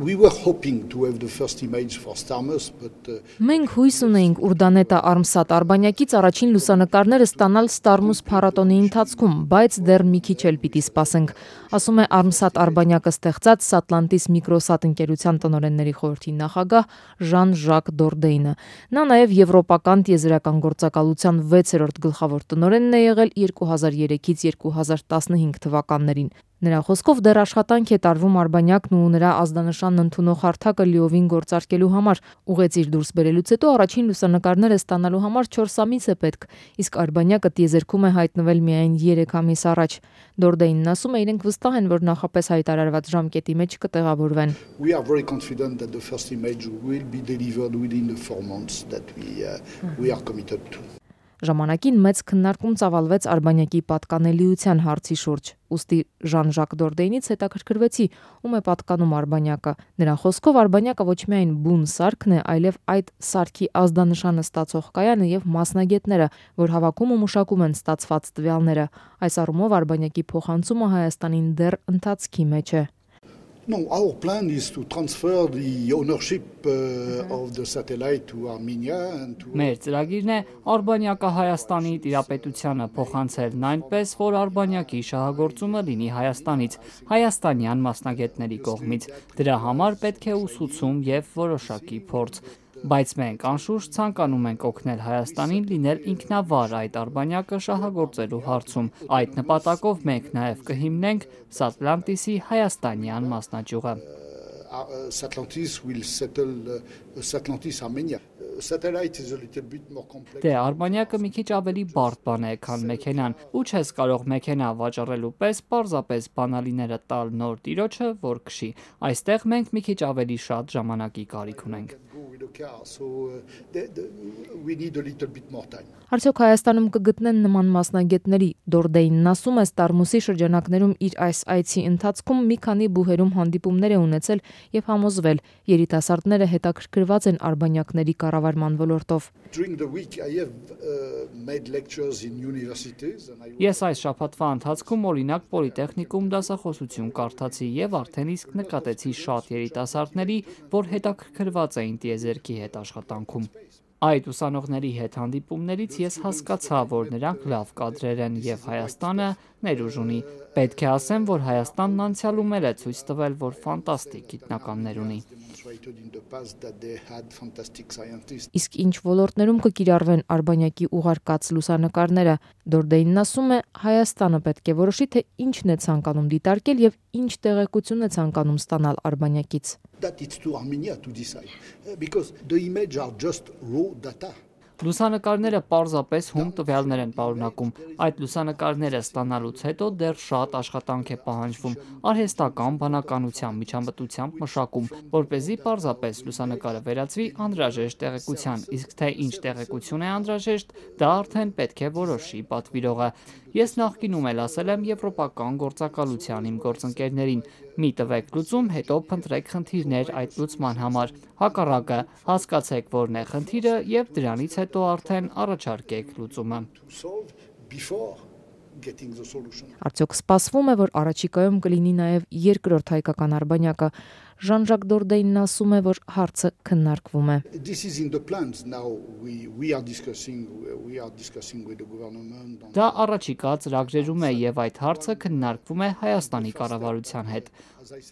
We were hoping to have the first image for Starmus, but Մենք հույս ունեինք Ուրդանետա Արմսատ Արբանյակից առաջին լուսանկարները ստանալ Starmus փառատոնի ընթացքում, բայց դեռ մի քիչ էլ պիտի սպասենք, ասում է Արմսատ Արբանյակը ստեղծած Satlantis Microsat ընկերության տնօրենների խորհրդի նախագահ Ժան-Ժակ Դորդեյնը։ Նա նաև եվրոպական տիեզերական գործակալության 6-րդ գլխավոր տնօրենն է եղել 2003-ից 2015 թվականներին։ Նրա խոսքով դեռ աշխատանք է տարվում Արբանյակն ու նրա ազդանշանն ընդունող հարթակը լիովին գործարկելու համար։ Ուղեծիր դուրս բերելուց հետո առաջին լուսանկարները ստանալու համար 4 ամիս է պետք, իսկ Արբանյակը տիեզերքում է հայտնվել միայն 3 ամիս առաջ։ Դորդեյնն ասում է, իրենք վստահ են, որ նախապես հայտարարված ժամկետի մեջ կտեղավորվեն։ we are very confident that the first image will be delivered within the 4 months that we are committed to. Ժամանակին մեծ քննարկում ծավալվեց Արբանյակի պատկանելիության հարցի շուրջ։ Ուստի Ժան-Ժակ Դորդեյնից հետաքրքրվեցի, ում է պատկանում Արբանյակը։ Նրա խոսքով Արբանյակը ոչ միայն բուն սարքն է, այլև այդ սարքի ազդանշանը ստացող կայանը եւ մասնագետները, որ հավաքում ու մշակում են ստացված տվյալները։ Այս առումով Արբանյակի փոխանցումը Հայաստանին դեռ ընթացքի մեջ է։ No, our plan is to transfer the ownership of the satellite to Armenia and to Մեր ծրագիրն է Արբանյակը Հայաստանի տիրապետությանը փոխանցելն այնպես, որ Արբանյակի շահագործումը լինի Հայաստանից, հայաստանյան մասնագետների կողմից։ Դրա համար պետք է ուսուցում եւ որոշակի փորձ։ Բայց մենք անշուշտ ցանկանում ենք օգնել Հայաստանին լինել ինքնավար այդ Արբանյակը շահագործելու հարցում։ Այդ նպատակով մենք նաև կհիմնենք Satlantis-ի հայաստանյան մասնաճյուղը։ Satlantis will settle Satlantis Armenia. Satellite is a little bit more complex. Դե Արբանյակը մի քիչ ավելի բարդ բան է, քան մեքենան։ Ու չես կարող մեքենա վաճառելու պես պարզապես բանալիները տալ նոր տիրոջը, որ քշի։ Այստեղ մենք մի քիչ ավելի շատ ժամանակի կարիք ունենք։ We need a little bit more time. Արդյոք Հայաստանում կգտնեն նման մասնագետների։ Դորդեյնն ասում է, Starmus-ի շրջանակներում իր այս այցի ընթացքում մի քանի բուհերում հանդիպումներ է ունեցել եւ համոզվել, երիտասարդները հետաքրքրված են Արբանյակների կառավարման ոլորտով։ During the week I have made lectures in universities and Ես այս շաբաթվա ընթացքում օրինակ պոլիտեխնիկում դասախոսություն կարդացի եւ արդեն իսկ նկատեցի շատ երիտասարդների, որ հետաքրքրված էին տիեզերքի հետ աշխատանքում։ Այդ ուսանողների հետ հանդիպումներից ես հասկացա, որ նրանք լավ կադրեր են եւ Հայաստանը ներուժ ունի։ Պետք է ասեմ, որ Հայաստանն անցյալում էլ է ցույց տվել, որ ֆանտաստիկ գիտնականներ ունի։ Իսկ ինչ ոլորտներում կկիրառվեն Արբանյակի ուղարկած լուսանկարները։ Դորդեյնն ասում է, Հայաստանը պետք է որոշի, թե ինչն է ցանկանում դիտարկել եւ ինչ տեղեկություն է ցանկանում ստանալ Արբանյակից։ That it's to Armenia to decide because the image are just raw data. Լուսանկարները պարզապես հում տվյալներ են պարունակում։ Այդ լուսանկարները ստանալուց հետո դեռ շատ աշխատանք է պահանջվում, արհեստական բանականության միջամտությամբ մշակում, որպեսզի պարզապես լուսանկարը վերածվի անհրաժեշտ տեղեկության, իսկ թե ինչ տեղեկություն է անհրաժեշտ, դա արդեն պետք է որոշի պատվիրողը։ Ես նախկինում էլ ասել եմ եվրոպական գործակալության իմ գործընկերներին՝ մի տվեք լուծում, հետո փնտրեք խնդիրներ այդ լուծման համար։ Հակառակը, հասկացեք որն է խնդիրը եւ դրանից հետո արդեն առաջարկեք լուծումը։ Արդյոք սպասվում է, որ առաջիկայում կլինի նաև երկրորդ հայկական Արբանյակը։ Ժան-Ժակ Դորդեյնն ասում է, որ հարցը քննարկվում է։ This is in the plans now. We are discussing with the government. Դա առաջիկա ծրագրերում է եւ այդ հարցը քննարկվում է Հայաստանի կառավարության հետ։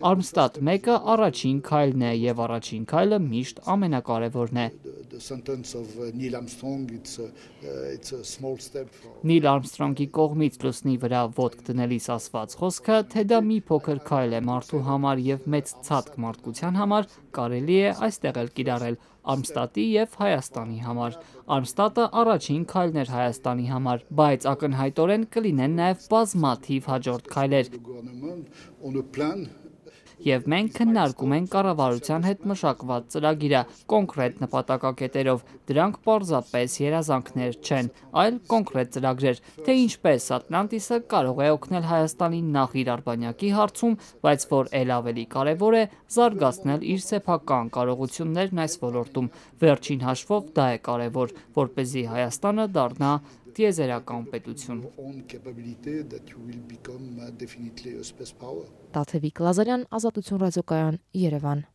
Armstat 1-ը առաջին քայլն է եւ առաջին քայլը միշտ ամենակարևորն է։ The sentence of Neil Armstrong it's a small step for Նիլ Արմստրոնգի կողմից լուսնի վրա ոտք դնելիս ասված խոսքը, թե դա մի փոքր քայլ է մարդու համար եւ մեծ ցածկ մարդկության համար, կարելի է այստեղ էլ կիրառել Արմստատի եւ Հայաստանի համար։ Արմստատը առաջին քայլն էր Հայաստանի համար, բայց ակնհայտորեն կլինեն նաեւ բազմաթիվ հաջորդ քայլեր։ Եվ մենք քննարկում ենք կառավարության հետ մշակված ծրագիրը կոնկրետ նպատակակետերով, դրանք պարզապես երազանքներ չեն, այլ կոնկրետ ծրագրեր, թե ինչպես Satlantis-ը կարող է օգնել Հայաստանին նախ իր Արբանյակի հարցում, բայց որ ել ավելի կարևոր է զարգացնել իր սեփական կարողություններն այս ոլորտում։ Վերջին հաշվով դա է կարևոր, որպեսզի Հայաստանը դառնա տիեզերական պետություն։ Տաթևիկ Լազարյան, Ազատություն ռադիոկայան, Երևան։